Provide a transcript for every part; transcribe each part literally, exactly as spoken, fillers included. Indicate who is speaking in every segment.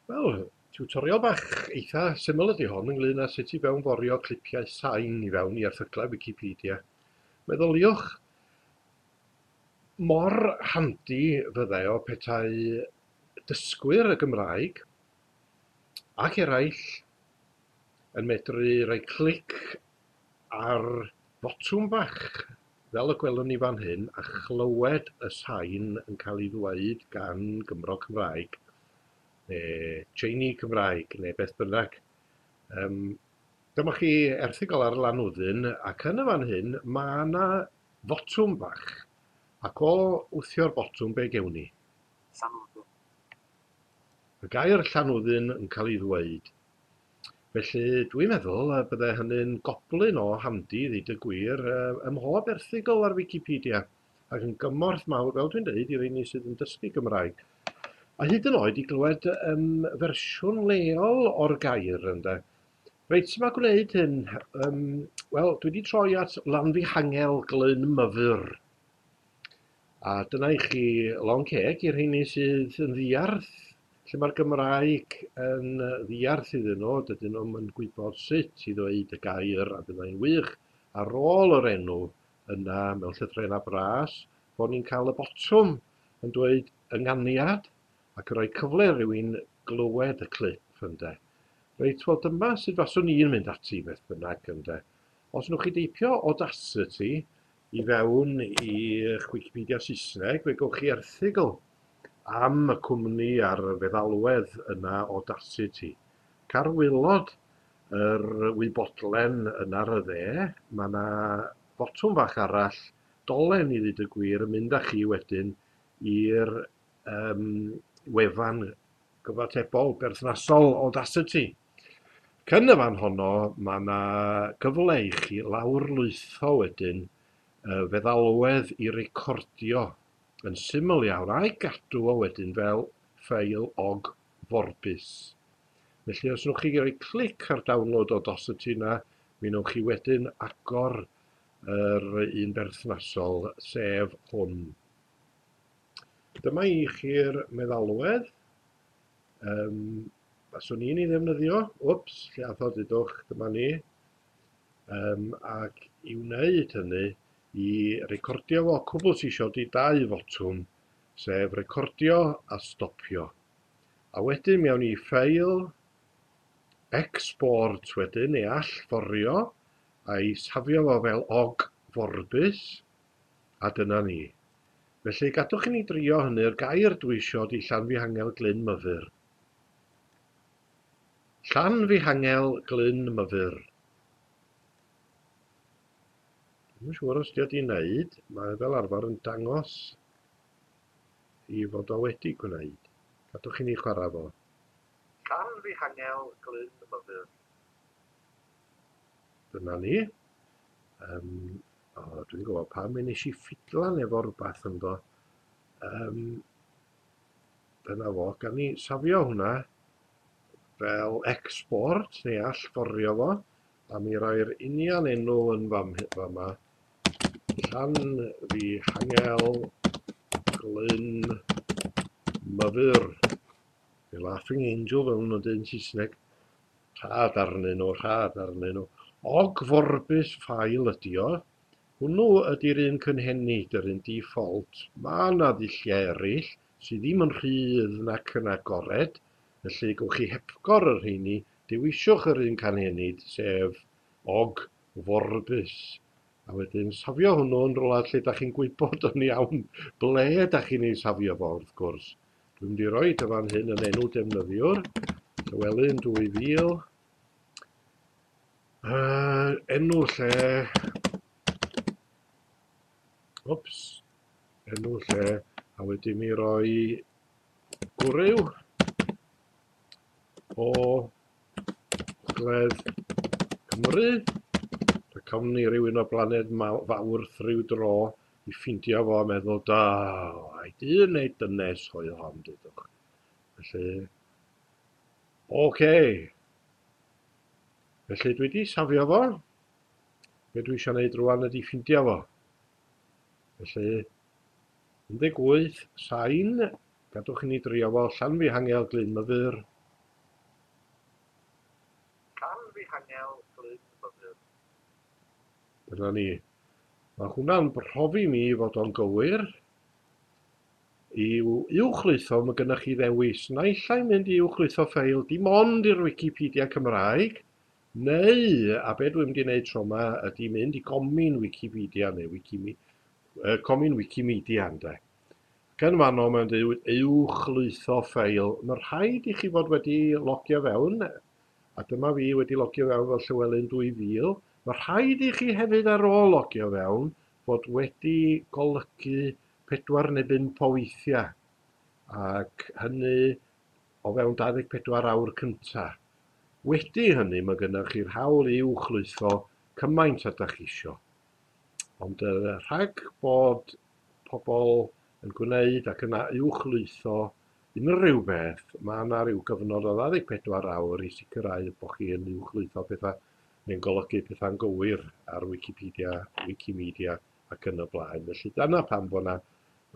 Speaker 1: Wel, tiwtorial bach eitha syml ydy hon ynglyn â sut i fewnforio clipiau sain i fewn i erthyglau Wicipedia. Meddyliwch mor handi fyddai o petai dysgwyr y Gymraeg ac eraill yn medru rhoi clic ar fotwm bach fel y gwelwn ni fan hyn a chlywed y sain yn cael ei ddweud gan Gymro Cymraeg neu Tseini Cymraeg neu beth bynnag. Yym, dyma chi erthygl ar Lanwddyn, ac yn y fan hyn mae yna fotwm bach, ac o wthio'r botwm be gewn ni?
Speaker 2: Llanwddyn.
Speaker 1: Y gair Llanwddyn yn cael ei ddweud. Felly dwi'n meddwl y bydde hynny'n goblyn o handi i ddeud y gwir ym mhob erthygl ar Wicipedia, ac yn gymorth mawr, fel dwi'n deud, i reini sydd yn dysgu Gymraeg. A hyd yn oed i glywed um, fersiwn leol o'r gair, ynde. Reit, sut mae gwneud hyn? Um, Wel, dwi wedi troi at Lanfihangel Glyn Myfyr. A dyna i chi lond ceg i'r rheini sydd yn ddiarth, lle mae'r Gymraeg yn ddiarth iddyn nhw, dydyn nhw'm yn gwybod sut i ddweud y gair, a byddai'n wych ar ôl yr enw yna mewn llythrennau bras, bod ni'n cael y botwm yn dweud ynganiad, ac yn rhoi cyfle i rywun glywed y clip, ynde. Reit, wel dyma sut faswn i'n mynd ati beth bynnag, ynde. Os wnewch chi deipio Audacity i fewn i'ch Wicipedia Saesneg, fe gewch chi erthygl am y cwmni a'r feddalwedd yna Audacity. Car waelod yr wybodlen yna ar y dde, mae yna fotwm fach arall, dolen i ddweud y gwir, yn mynd â chi wedyn i'r um, wefan gyfatebol berthnasol Audacity. Cyn y fan honno, mae yna gyfle i chi lawrlwytho wedyn y feddalwedd i recordio yn syml iawn a'i gadw o wedyn fel ffeil og forbus. Felly os wnewch chi roi clic ar download Audacity yna, mi wnewch chi wedyn agor yr un berthnasol, sef hwn. Dyma i chi'r meddalwedd. Um, faswn i'n ei ddefnyddio. Wps, lle ath o, dudwch, dyma ni. Um, ac i wneud hynny, i recordio fo, cwbl sy isio 'di dau fotwm, sef recordio a stopio. A wedyn mi awn ni i ffeil, export wedyn, neu allforio, a'i safio fo fel og forbus, a dyna ni. Felly gadwch i ni drio hynny'r gair dwi isio 'di Llanfihangel Glyn Myfyr. Llanfihangel Glyn Myfyr. Dwi'm yn siŵr os 'di o 'di wneud, mae fel arfer yn dangos i fod o wedi gwneud. Gadwch i ni chwarae fo. Llanfihangel Glyn Myfyr. Dyna ni. Um, o, dwi'n gwybod pam mi nes i ffidlan efo rhywbeth ynddo. Um, dyna fo, gan ni safio hwnna fel export neu allforio fo, a mi roi'r union enw yn fam, fama. Llanfihangel Glyn Myfyr. The Laughing Angel fel nhw'n dweud yn Saesneg. Rhad arnyn nhw, rhad arnyn nhw. Og forbus ffael ydi o. Hwnnw ydy'r un cynhenid, yr un default. Mae yna ddulliau eraill sydd ddim yn rhydd nac yn agored, felly gewch chi hepgor y rheini, dewiswch yr un cynhenid, sef og forbus. A wedyn safio hwnnw yn rhywle lle dach chi'n gwybod yn iawn ble dach chi'n ei safio fo, wrth gwrs. Dwi'n mynd i roi y fan hyn yn enw defnyddiwr, Llywelyn dwy fil. Uh, enw lle, wps, enw lle, a wedyn mi roi gwryw o Gogledd Cymru. Rhaid cawn ni rywun o blaned Fawrth ryw dro i ffeindio fo a meddwl, da, ai dyn neu dynes oedd hon, dudwch. Felly, oce. Felly dwi wedi safio fo. Be dwi eisiau gwneud rwan ydy ffeindio fo. Felly, un deg wyth, sain, gadwch i ni drio fo, Llanfihangel Glyn Myfyr. Dyna ni. Mae hwnna'n profi mi fod o'n gywir. I uwchlwytho, mae gennych chi ddewis. Naill ai mynd i uwchlwytho ffeil dim ond i'r Wicipedia Cymraeg, neu, a be dwi'n mynd i wneud tro yma, ydy mynd i Gomin Wicipedia neu Wikimi, uh, Comin Wikimedia, ynde. Ac yn fanno mae'n dweud uwchlwytho ffeil. Mae rhaid i chi fod wedi logio fewn, a dyma fi wedi logio fewn fel Llywelyn dwy fil. Mae rhaid i chi hefyd ar ôl logio fewn fod wedi golygu pedwar neu bump o weithiau, ac hynny o fewn dau ddeg pedwar awr cynta. Wedi hynny, mae gennych chi'r hawl i uwchlwytho cymaint â dach chi isio. Ond uh, rhag bod pobl yn gwneud ac yna uwchlwytho unrhyw beth, mae yna ryw gyfnod o ddau ddeg pedwar awr i sicrhau bod chi yn uwchlwytho pethau neu'n golygu pethau'n gywir ar Wikipedia, Wikimedia ac yn y blaen. Felly dyna pam bod yna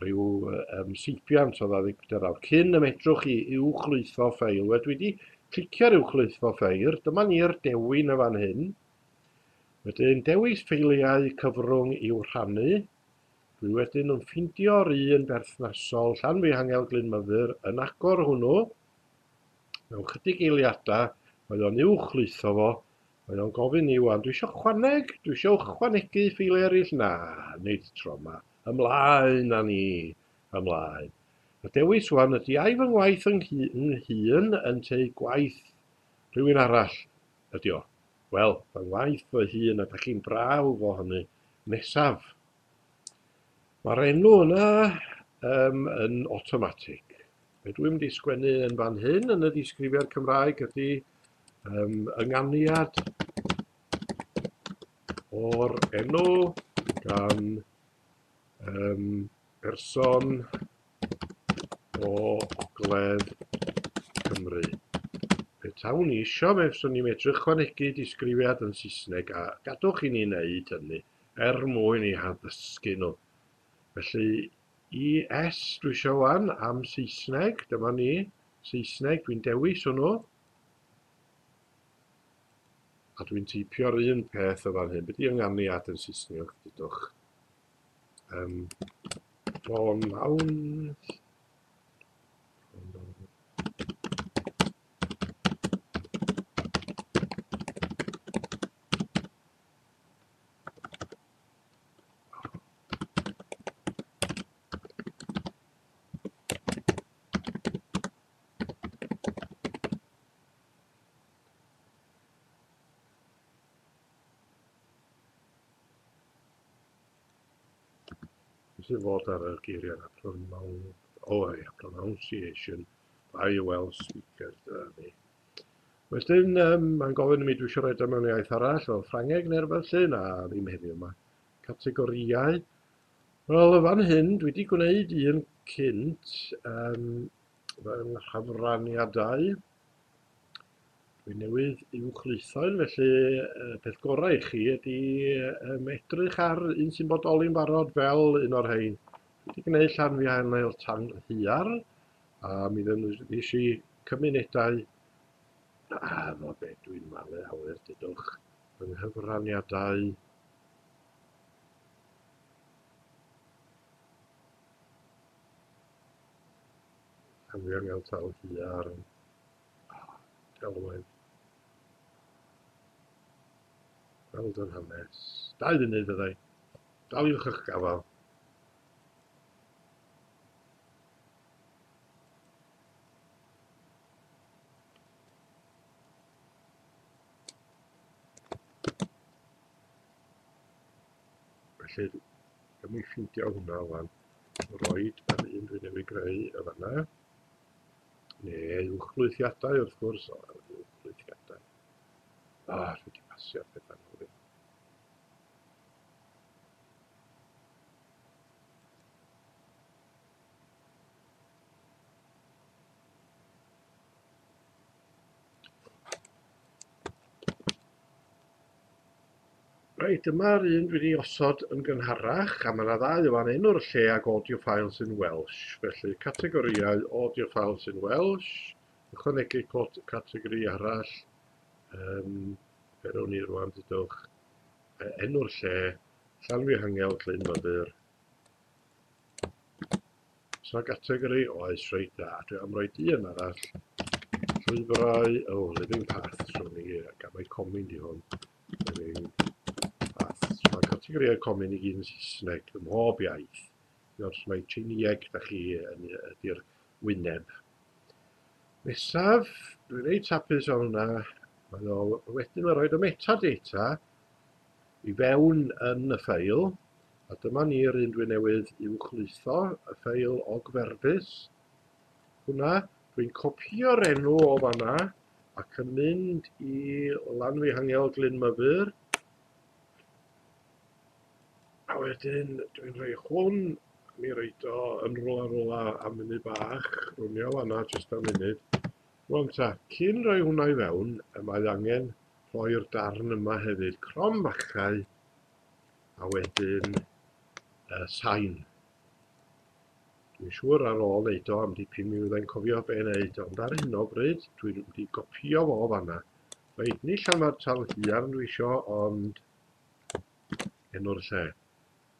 Speaker 1: rhyw um, seibiant o ddau ddeg pedwar awr cyn y medrwch chi uwchlwytho ffeil. Wel, dwi wedi clicio'r uwchlwytho ffeil, dyma ni'r dewin y fan hyn. Wedyn dewis ffeiliau cyfrwng i'w rhannu. Dwi wedyn yn ffeindio'r un berthnasol, Llanfihangel Glyn Myfyr, yn agor hwnnw. Mewn chydig eiliadau, mae o'n uwchlwytho fo. Mae o'n gofyn i wan, dwi isio chwaneg, dwi isio ychwanegu ffeiliau eraill. Na, nid tro yma. Ymlaen â ni, ymlaen. Y dewis wan ydy ai fy ngwaith yng hun ynteu gwaith rhywun arall ydy o. Wel, fy ngwaith fy hun, a dach chi'n brawf o hynny nesaf. Mae'r enw yna um, yn automatic. Be dwi'n mynd i sgwennu yn fan hyn yn y disgrifiad Cymraeg ydy um, ynganiad o'r enw gan um, person o Ogledd Cymru. Petawn i isio, fe fyswn i'n medru ychwanegu disgrifiad yn Saesneg, a gadwch i ni wneud hynny er mwyn i haddysgu nhw. Felly, E S dwi isio wan am Saesneg, dyma ni, Saesneg, dwi'n dewis hwnnw. A dwi'n teipio'r un peth o fan hyn. Be di ynganiad yn Saesneg, dudwch? Um, pronoun. Sy'n fod ar y geiriau yna, pronoun, o ia, pronunciation by Welsh speakers, dyna ni. Wedyn, um, mae'n gofyn i mi dwi eisiau rhoi o mewn iaith arall, fel Ffrangeg neu rhywbeth lle, na, ddim heddiw yma. Categorïau. Wel, y fan hyn, dwi wedi gwneud un cynt, um, fy nghyfraniadau. Dwi newydd uwchlwytho un, felly y peth gorau i chi ydy um, edrych ar un sy'n bodoli'n barod fel un o'r rhain. Dwi wedi gwneud Llanfihangel Talhaearn, a mi ddefnyddiais i cymunedau. A fo be dwi'n malu awyr, dudwch, fy nghyfraniadau. Llanfihangel Talhaearn, delwedd. Gweld yr hanes. Dau funud fyddai. Daliwch eich gafael. Felly, gymryd ffeindio hwnna wan. Roed yr un dwi newydd greu y fanna. Neu uwchlwythiadau wrth gwrs. O, uwchlwythiadau. Ah, dwi wedi pasio'r pethau nôl. Reit, dyma'r un dwi wedi osod yn gynharach, a mae yna ddau fan enw'r lle ag audio files in Welsh. Felly, categorïau audio files in Welsh, ychwanegu categori arall, um, be rown ni rwan, dudwch, enw'r lle, Llanfihangel Glyn Myfyr. So gategori, oes, reit dda. Dwi am roi un arall. Llwybrau, oh, Living Paths, rhwng ni, gan mai comin di hwn. Living Paths. Mae categorïau comin i gyd yn Saesneg, ym mhob iaith. Os mae Tsieinieg da chi yn ydy'r wyneb. Nesaf, dwi'n reit hapus o hwnna. Mae o wedyn mae'n rhoid y metadata i fewn yn y ffeil. A dyma ni'r un dwi newydd uwchlwytho, y ffeil ogferfus. Hwna, dwi'n copio'r enw o fanna ac yn mynd i Lanfihangel Glyn Myfyr. A wedyn dwi'n rhoi hwn, mi roid o yn rwla rwla am munud bach, rwnio fanna jyst am munud. Rwan ta, cyn rhoi hwnna i fewn, mae angen rhoi'r darn yma hefyd, cromfachau, a wedyn uh, sain. Dwi'n siŵr ar ôl wneud o am dipyn mi fyddai'n cofio be wneud, ond ar hyn o bryd dwi wedi gopio fo fanna. Reit, ni Llanfair Talhaearn dwi isio, ond enw'r lle.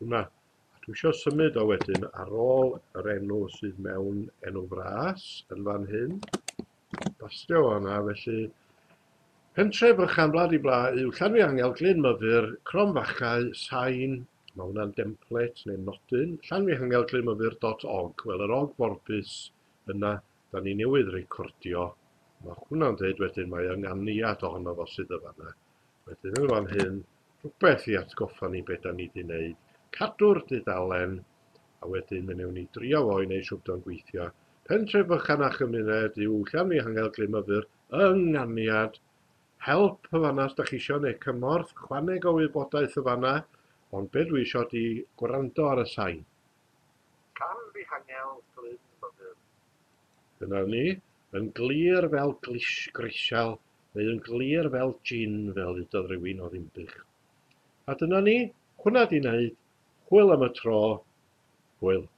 Speaker 1: Hwnna. A dwi isio symud o wedyn ar ôl yr enw sydd mewn enw fras yn fan hyn. Bastio fanna, felly pentre bychan blad i bla yw Llanfihangel Glyn Myfyr, cromfachau, sain. Mae hwnna'n template neu nodyn, llanfihangel glyn myfyr dot org. Wel, yr og forbus yna, da ni newydd recordio. Mae hwnna'n dweud wedyn mae ynganiad ohono fo sydd y fanna. Wedyn yn fan hyn, rhywbeth i atgoffa ni beth da ni wedi wneud. Cadw'r dudalen, a wedyn mi wnewn ni drio fo i wneud siŵr bod o'n gweithio. Pentre bychan a chymuned yw Llanfihangel Glyn Myfyr, ynganiad. Help y fanna os da chi isio neu cymorth, chwaneg o wybodaeth y fanna. Ond be dwi isio di gwrando ar y sain. Llanfihangel Glyn Myfyr. Dyna ni, yn glir fel grisial, neu yn glir fel gin, fel ddudodd rhywun o Ddinbych. A dyna ni, hwnna di wneud, hwyl am y tro, hwyl.